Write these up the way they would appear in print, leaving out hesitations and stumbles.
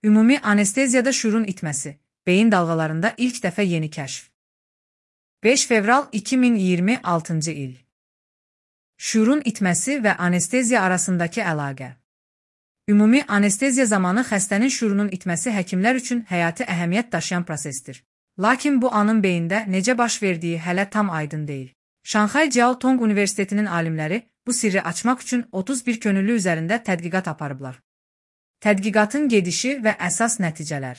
Ümumi anesteziyada şuurun itməsi, beyin dalğalarında ilk dəfə yeni kəşf. 5 fevral 2026 il. Şuurun itməsi və anesteziya arasındakı əlaqə. Ümumi anesteziya zamanı xəstənin şuurunun itməsi həkimlər üçün həyati əhəmiyyət daşıyan prosesdir. Lakin bu anın beyində necə baş verdiyi hələ tam aydın deyil. Şanxay Jiao Tong Universitetinin alimləri bu sirri açmaq üçün 31 könüllü üzərində tədqiqat aparıblar. Tədqiqatın gedişi və əsas nəticələr.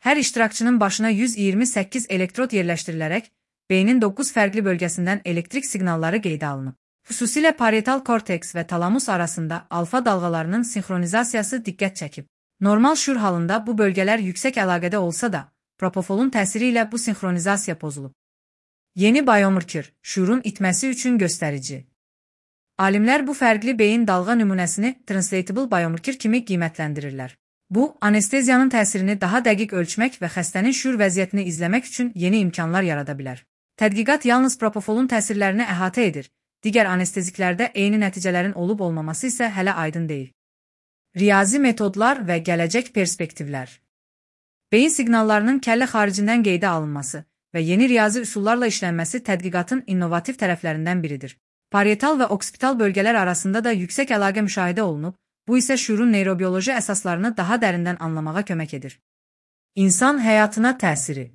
Hər iştirakçının başına 128 elektrod yerləşdirilərək, beynin 9 fərqli bölgəsindən elektrik siqnalları qeydə alınıb. Xüsusilə parietal korteks və talamus arasında alfa dalğalarının sinxronizasiyası diqqət çəkib. Normal şuur halında bu bölgələr yüksək əlaqədə olsa da, propofolun təsiri ilə bu sinxronizasiya pozulub. Yeni biomarker, şuurun itməsi üçün göstərici. Alimlər bu fərqli beyin dalğa nümunəsini translatable biomarker kimi qiymətləndirirlər. Bu, anesteziyanın təsirini daha dəqiq ölçmək və xəstənin şuur vəziyyətini izləmək üçün yeni imkanlar yarada bilər. Tədqiqat yalnız propofolun təsirlərini əhatə edir, digər anesteziklərdə eyni nəticələrin olub-olmaması isə hələ aydın deyil. Riyazi metodlar və gələcək perspektivlər. Beyin siqnallarının kəllə xaricindən qeydə alınması və yeni riyazi üsullarla işlənməsi tədqiqatın innovativ tərəflərindən biridir. Parietal və oksipital bölgələr arasında da yüksək əlaqə müşahidə olunub, bu isə şuurun neyrobioloji əsaslarını daha dərindən anlamağa kömək edir. İnsan həyatına təsiri.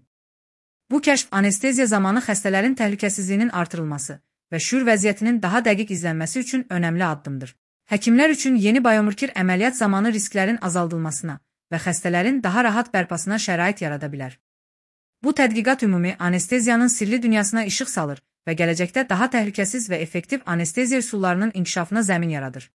Bu kəşf anesteziya zamanı xəstələrin təhlükəsizliyinin artırılması və şuur vəziyyətinin daha dəqiq izlənməsi üçün önəmli addımdır. Həkimlər üçün yeni biomarker əməliyyat zamanı risklərin azaldılmasına və xəstələrin daha rahat bərpasına şərait yarada bilər. Bu tədqiqat ümumi anesteziyanın sirli dünyasına işıq salır və gələcəkdə daha təhlükəsiz və effektiv anesteziya üsullarının inkişafına zəmin yaradır.